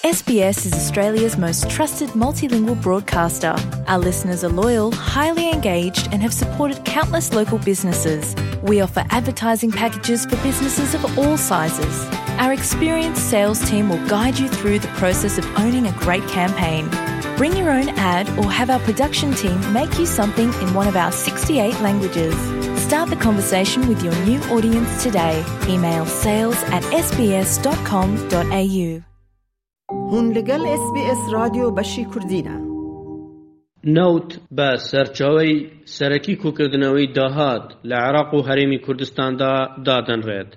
SBS is Australia's most trusted multilingual broadcaster. Our listeners are loyal, highly engaged, and have supported countless local businesses. We offer advertising packages for businesses of all sizes. Our experienced sales team will guide you through the process of owning a great campaign. Bring your own ad or have our production team make you something in one of our 68 languages. Start the conversation with your new audience today. Email sales at sbs.com.au. هون لەگەڵ ئێس بی ئێس ڕادیۆ بەشی کوردینە. نەوت بە سەرچاوەی سەرەکی کۆکردنەوەی داهات لە عێراق و هەرێمی کوردستاندا دادەنرێت،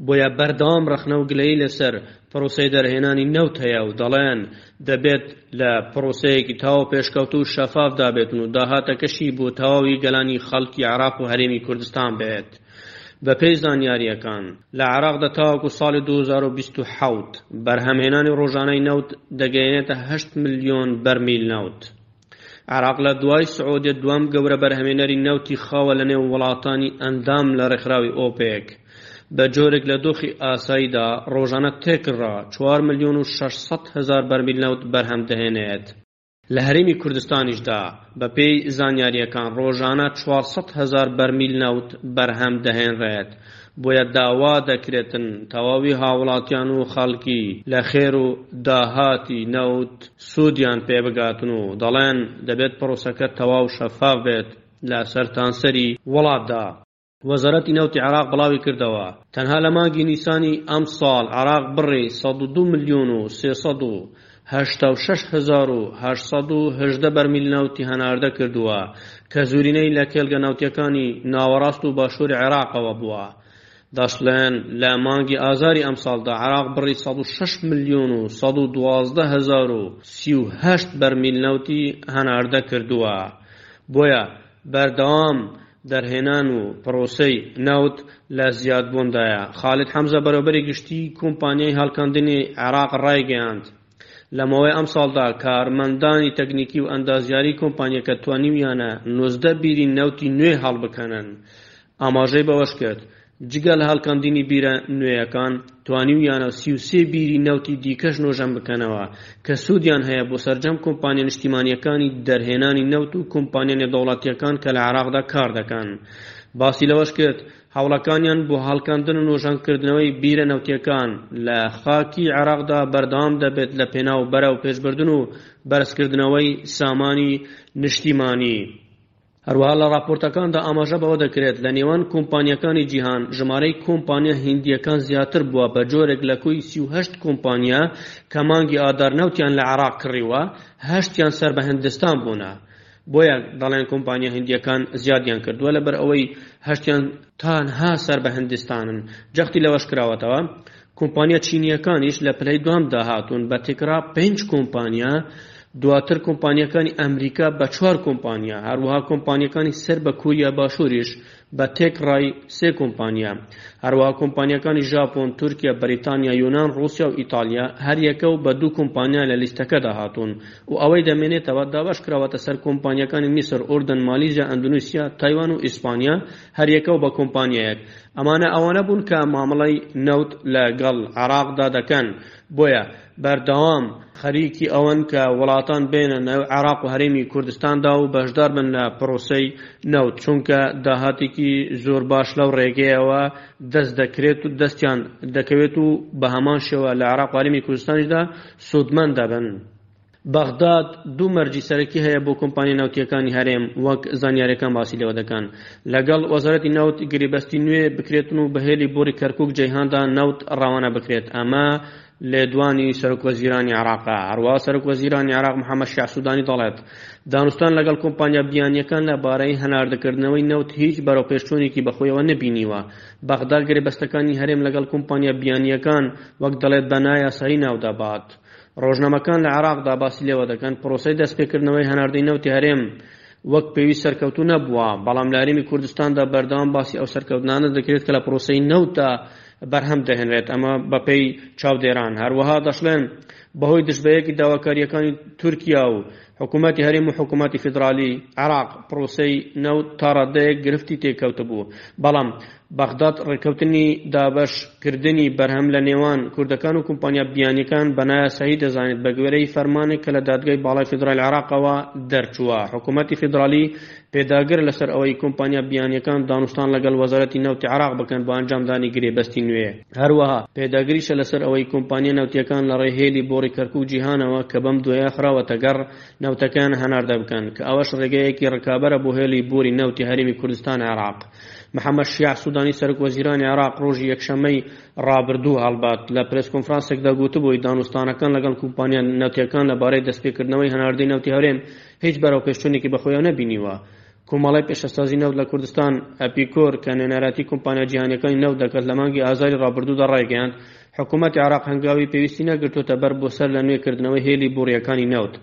بۆیە بەردەوام ڕەخنە و گلەیی لەسەر پرۆسەی دەرهێنانی نەوت هەیە و دەڵێن دەبێت لە پرۆسەیەکی تەواو پێشکەوتوو و شەفافدا بێتن و داهاتەکەشی بۆ تەواوی گەلانی خەڵکی عێراق و هەرێمی کوردستان بێت. بەپێی زانیارییەکان، لە عێراقدا تاوەکو ساڵی 2027 بەرهەمهێنانی ڕۆژانەی نەوت دەگەیەنێتە 8 ملیۆن بەرمیل نەوت. عێراق لە دوای سعودیە دووەم گەورە بەرهەمێنەری نەوتی خاوە لە نێو وڵاتانی ئەندام لە ڕێکخراوی ئۆپێک، بە جۆرێک لە دۆخی ئاساییدا ڕۆژانە تێکڕا 4 ملیۆن و 600 هەزار بەرمیل نەوت بەرهەم دەهێنێت. لە هەرێمی کوردستانیشدا بەپێی زانیارییەکان ڕۆژانە 400 هەزار بەرمیل نەوت بەرهەم دەهێنرێت، بۆیە داوا دەکرێتن تەواوی هاوڵاتیان و خەڵکی لە خێر و داهاتی نەوت سوودیان پێ بگاتن و دەڵێن دەبێت پرۆسەکە تەواو شەفاف بێت لە سەرتانسەری وڵاتدا. وەزارەتی نەوتی عێراق بڵاویکردەوە، تەنها لە مانگی نیسانی ئەمساڵ عێراق بڕی 102 ملیۆن و 386 هەزار و 818 بەرمیل نەوتی هەناردە کردووە کە زۆرینەی لە کێڵگە نەوتییەکانی ناوەڕاست و باشووری عێراقەوە بووە. دەشڵێن، لە مانگی ئازاری ئەمساڵدا عێراق بڕی 106 ملیۆن و 112 هەزار و 38 بەرمیل نەوتی هەناردە کردووە. بۆیە بەردەوام دەرهێنان و پرۆسەی نەوت لە زیادبووندایە. خالید حەمزە بەرێوەبەری گشتیی کۆمپانیای هەڵکەندنی عێراق ڕایگەیاند، لە ماوەی ئەمساڵدا کارمەندانی تەکنیکی و ئەندازیاری کۆمپانیاکە توانیویانە 19 بیری نەوتی نوێ هەڵبکەنن. ئاماژەی بەوەشکرد، جگە لە هەڵکەندنی بیرە نوێیەکان، توانیویانە 33 بیری نەوتی دیکەش نۆژەن بکەنەوە کە سوودیان هەیە بۆ سەرجەم کۆمپانیا نیشتیمانییەکانی دەرهێنانی نەوت و کۆمپانیا نێودەوڵەتییەکان کە لە عێراقدا کاردەکەن. باسی لەوەشکرد، هەوڵەکانیان بۆ هەڵکەندن و نۆژەنکردنەوەی بیرە نەوتییەکان لە خاکی عێراقدا بەردەوام دەبێت لە پێناو بەرەوپێشبردن و بەرزکردنەوەی سامانی نیشتیمانی. هەروەها لە ڕاپۆرتەکاندا ئاماژە بەوە دەکرێت لە نێوان کۆمپانیاکانی جیهان ژمارەی کۆمپانیا هیندییەکان زیاتر بووە بە جۆرێک لە کۆی 38 کۆمپانیا کە مانگی ئادار نەوتیان لە عێراق کڕیوە هەشتیان سەر بە هندستان بوونە بۆیە دەڵێن کۆمپانیا هندییەکان زیادیان کردووە لەبەر ئەوەی هەشتیان تەنها سەر بە هندستانن جەختی لەوەش کراوەتەوە کۆمپانیا چینییەکانیش لە پلەی دووەمدا هاتوون بە تێکڕا پێنج کۆمپانیا، دواتر کۆمپانیاکانی ئەمریکا بە چوار کۆمپانیا، هەروەها کۆمپانیاکانی سەر بە کۆریا باشووریش بە تێکڕای سێ کۆمپانیا. هەروەها کۆمپانیاکانی ژاپۆن، تورکیا، بەریتانیا، یۆنان، ڕووسیا و ئیتاڵیا هەریەکە و بە دوو کۆمپانیا لە لیستەکەدا هاتوون و ئەوەی دەمێنێتەوە دابەشکراوەتە سەر کۆمپانیاکانی میسر، ئوردن، مالیزیا، ئەندونیسیا، تایوان و ئیسپانیا هەریەکە و بە کۆمپانیایەک. ئەمانە ئەوانە بوون کە مامەڵەی نەوت لە گەڵ عێراقدا دەکەن، بۆیە بەردەوام خەریکی ئەوەن کە وڵاتان بێنە نێو عێراق و هەرێمی کوردستاندا و بەشدار بن لە پرۆسەی نەوت، چونکە داهاتێکی زۆر باش لەو ڕێگەیەوە دەست دەکرێت و دەستیان دەکەوێت و بە هەمان شێوە لە عێراق و هەرێمی کوردستانیشدا سوودمەند دەبن. بەغداد دوو مەرجی سەرەکی هەیە بۆ کۆمپانیا نەوتییەکانی هەرێم وەک زانیارییەکان باسی لێوە دەکەن لەگەڵ وەزارەتی نەوت گرێبەستی نوێ بکرێتن و بە هێلی بۆری کەرکوک جەیهاندا نەوت ڕەوانە بکرێت ئەمە لێدوانی سەرۆکوەزیرانی عێراقە هەروەها سەرۆکوەزیرانی عێراق محەممەد شیاع سوودانی دەڵێت دانوستان لەگەڵ کۆمپانیا بیانییەکان لەبارەی هەناردەکردنەوەی نەوت هیچ بەرەوپێشچوونێکی بەخۆیەوە نەبینیوە بەغدا گرێبەستەکانی هەرێم لەگەڵ کۆمپانیا بیانییەکان وەک دەڵێت بە نایاسایی ناودەبات ڕۆژنامەکان لە عێراقدا باسی لێوە دەکەن، پرۆسەی دەستپێکردنەوەی هەناردەی نەوتی هەرێم وەک پێویست سەرکەوتوو نەبووە، بەڵام لە هەرێمی کوردستاندا بەردەوام باسی ئەو سەرکەوتنانە دەکرێت کە لە پرۆسەی نەوتدا بەرهەم دەهێنرێت، ئەمە بەپێی چاودێران. هەروەها دەشڵێن، بەهۆی دژبەیەکی داواکارییەکانی تورکیا و حکوومەتی هەرێم و حکوومەتی فیدرالی عێراق پرۆسەی نەوت تا ڕادەیەک گرفتی تێکەوتبوو، بەڵام. بەغداد ڕێککەوتنی دابەش کردنی بەرهەم لە نێوان کوردەکان و کۆمپانیا بیانیەکان بە نایاسایی دەزانێت بەگوێرەی فەرمانێک کە لە دادگای باڵای فیدرالی عێراقەوە دەرچووە. حکوومەتی فیدرالی پێداگرە لەسەر ئەوەی کۆمپانیا بیانیەکان دانوستان لەگەڵ وەزارەتی نەوتی عێراق بکەن بۆ ئەنجامدانی گرێبەستی نوێ. هەروەها پێداگریشە لەسەر ئەوەی کۆمپانیا نەوتیەکان لەڕێی هێلی بۆڕی کەرکوک جیهانەوە کە بەم دوایە خراوەتە گەڕ نەوتەکەیان هەناردە بکەن کە ئەوەش ڕێگەیەکی ڕکابەرە بۆ هێڵی بۆری نەوتی هەرێمی کوردستان عێراق. محەمەد شیاع سودانی سەرۆک وەزیرانی عێراق ڕۆژی یەکشەممەی ڕابردوو هەڵبەت لە پرێس کۆنفرانسێکدا گوتبووی دانوستانەکان لەگەڵ کۆمپانیا نەوتیەکان لەبارەی دەستپێکردنەوەی هەناردەی نەوتی هەرێم هیچ بەرەوپێشچوونێکی بەخۆیەوە نەبینیوە. کۆمەڵەی پیشەسازی نەوت لە کوردستان، ئەپیکۆر، کە نوێنەرایەتی کۆمپانیا جیهانییەکانی نەوت دەکات لە مانگی ئازاری ڕابردوودا ڕایگەیاند، حکوومەتی عێراق هەنگاوی پێویستی نەگرتووەتە بەر بۆ سەر لە نوێ کردنەوەی هێلی بۆڕییەکانی نەوت.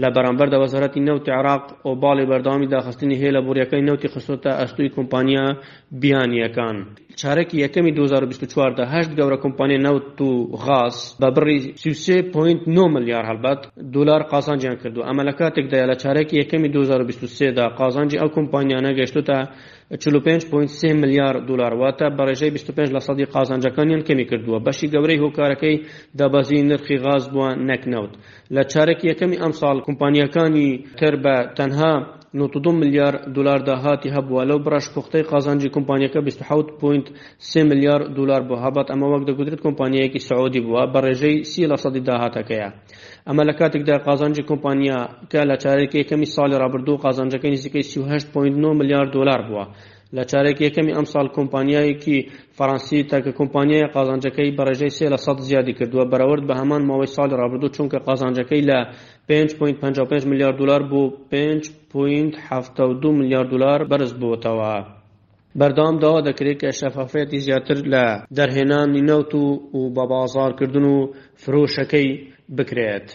لە بەرامبەردا وەزارەتی نەوتی عێراق ئۆباڵی بەردەوامی داخستنی هێلە بۆڕییەکانی نەوتی خستۆتە ئەستۆی کۆمپانیا بیانییەکان. چارەکی یەکەمی 2024 دا هەشت گەورە کۆمپانیای نەوت و غاز بە بڕی 33.9 ملیار هەڵبەت دۆلار قازانجیان کردووە، ئەمە لە کاتێکدایە لە چارەکی یەکەمی 2023 دا قازانجی ئەو کۆمپانیانە گەیشتۆتە 45.3 ملیار دۆلار، واتە بە ڕێژەی 25 لەسەدی قازانجەکانیان کەمی کردووە، بەشی گەورەی هۆکارەکەی دابەزینی نرخی غاز بووە نەک نەوت. لە چارەکی یەکەمی ئەمساڵ کۆمپانیاکانی تر بە تەنها 92 ملیار دۆلار داهاتی هەبووە، لەو بڕەش پوختەی قازانجی کۆمپانیاکە 27.3 ملیار دۆلار بووە، هەڵبەت ئەمە وەک دەگوترێت کۆمپانیایەکی سعودی بووە بە ڕێژەی 30 لەسەدی داهاتەکەیە. ئەمە لە کاتێکدایە قازانجی کۆمپانیاکە لە چارەکی یەکەمی ساڵی ڕابردوو قازانجەکەی نزیکەی 38.9 ملیار دۆلار بووە. لە چارەکی یەکەمی ئەمساڵ کۆمپانیایەکی فەرەنسی تاکە کۆمپانیایە قازانجەکەی بە ڕێژەی 3 لەسەد زیادی کردووە بەراورد بە هەمان ماوەی ساڵی ڕابردوو، چونکە قازانجەکەی لە 5.55 ملیار دۆلار بۆ 5.72 ملیار دۆلار بەرزبووەتەوە. بەردەوام داوا دەکرێت کە شەفافیەتی زیاتر لە دەرهێنانی نەوت و بەبازاڕکردن و فرۆشەکەی بکرێت.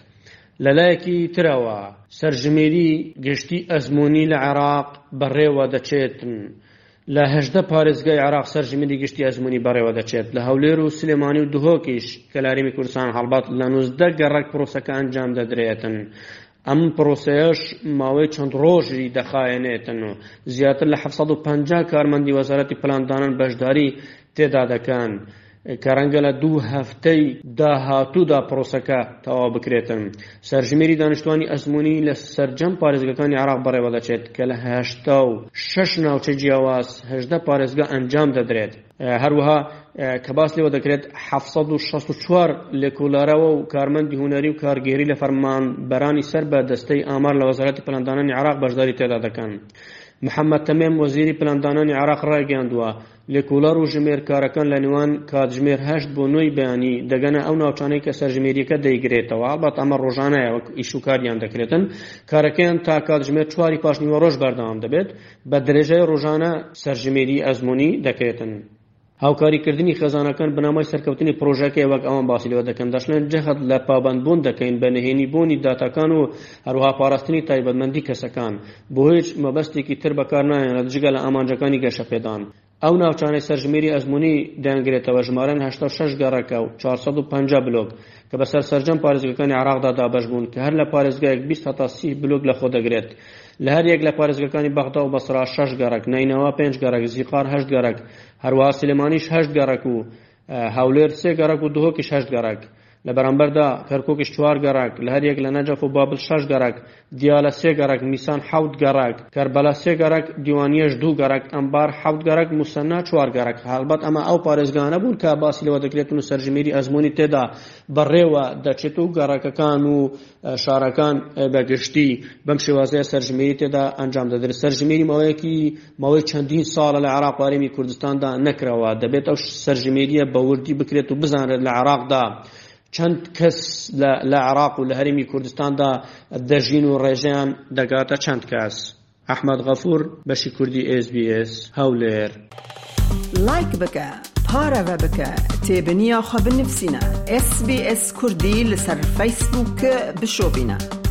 لەلایەکی ترەوە، سەرژمێری گشتی ئەزموونی لە عێراق بەڕێوە دەچێت. لە 18 پارێزگای عێراق سەرژمێری گشتی ئەزموونی بەڕێوە دەچێت. لە هەولێر و سلێمانی و دهۆکیش کە لە هەرێمی کوردستان هەڵبەت لە 19 گەڕەک پرۆسەکە ئەنجام دەدرێتن. ئەم پرۆسەیەش ماوەی چەند ڕۆژی دەخایەنێتن و زیاتر لە 750 کارمەندی وەزارەتی پلاندانان بەشداری تێدا دەکەن کە ڕەنگە لە دوو هەفتەی داهاتوودا پرۆسەکە تەواو بکرێتن. سەرژمێری دانیشتوانی ئەزموونی لە سەرجەم پارێزگاکانی عێراق بەڕێوەدەچێت کە لە 86 ناوچەی جیاواز 18 پارێزگا ئەنجام دەدرێت. هەروەها کە باس لێوە دەکرێت 764 لێکۆڵەرەوە و کارمەندی هونەری و کارگێری لە فەرمانبەرانی سەر بە دەستەی ئامار لە وەزارەتی پلاندانانی عێراق بەشداری تێدا دەکەن. محەممەد تەمێم وەزیری پلاندانانی عێراق ڕایگەیاندووە، لێکۆڵەر و ژمێرکارەکان لە نێوان کاتژمێر هەشت بۆ نۆی بەیانی دەگەنە ئەو ناوچانەی کە سەرژمێرییەکە دەیگرێتەوە، هەڵبەت ئەمە ڕۆژانەیە وەک ئیش و کاریان دەکرێتن، کارەکەیان تا کاتژمێر چواری پاشنیوەڕۆش بەردەوام دەبێت، بە درێژای ڕۆژانە سەرژمێری ئەزموونی دەکرێتن. هاوکاریکردنی خێزانەکان بنەمای سەرکەوتنی پڕۆژەکەیە وەک ئەوان باسی لێوە دەکەن، دەشڵێن جەخت لە پابەندبوون دەکەین بە نهێنی بوونی داتاکان و هەروەها پاراستنی تایبەتمەندی کەسەکان، بۆ هیچ مەبەستێکی تر بەکارناهێنرێت جگە لە ئامانجەکانی گەشەپێدان. ئەو ناوچانەی سەرژمێری ئەزموونی دەیانگرێتەوە ژمارەیان 86 گەڕەکە و 450 بلۆک کە بەسەر سەرجەم پارێزگاکانی عێراقدا دابەش بوون کە هەر لە پارێزگایەک 20 هەتا 30 بلۆک لەخۆدەگرێت. لە هەر یەک لە پارێزگاکانی بەغدا و بەسرا شەش گەڕەک، نەینەوا پێنج گەڕەک، زیقار هەشت گەڕەک، هەروەها سلێمانیش هەشت گەڕەک و هەولێر سێ گەڕەک و دهۆکیش هەشت گەڕەک. لە بەرامبەردا کەرکوکیش چوار گەڕەک، لە هەر یەک لە نەجەف و بابل شەش گەڕەک، دیالە سێ گەڕەک، میسان حەوت گەڕەک، کەربەلا سێ گەڕەک، دیوانیەش دوو گەڕەک، ئەنبار حەوت گەڕەک، موسەننا چوار گەڕەک. هەڵبەت ئەمە ئەو پارێزگانە بوون کە باسی لێوە دەکرێتن و سەرژمێری ئەزموونی تێدا بەڕێوە دەچێت و گەڕەکەکان و شارەکان بە گشتی بەم شێوازەیە سەرژمێری تێدا ئەنجام دەدرێت. سەرژمێری ماوەیەکی ماوەی چەندین ساڵە لە عێراق و هەرێمی کوردستاندا نەکراوە. دەبێت ئەو سەرژمێریە بە وردی بکرێت و بزانرێت لە عێراقدا چەند کەس لە عێراق و لە هەرێمی کوردستاندا دەژین و ڕێژەیان دەگاتە چەند کەس. ئەحمەد غەفور، بەشی کوردی ئێس بی ئێس، هەولێر. لایک بکە پارەڤە بکە تێبنیا خو بنفسینە SسBS کوردی لەسەر فەیسبووک بشۆبینە.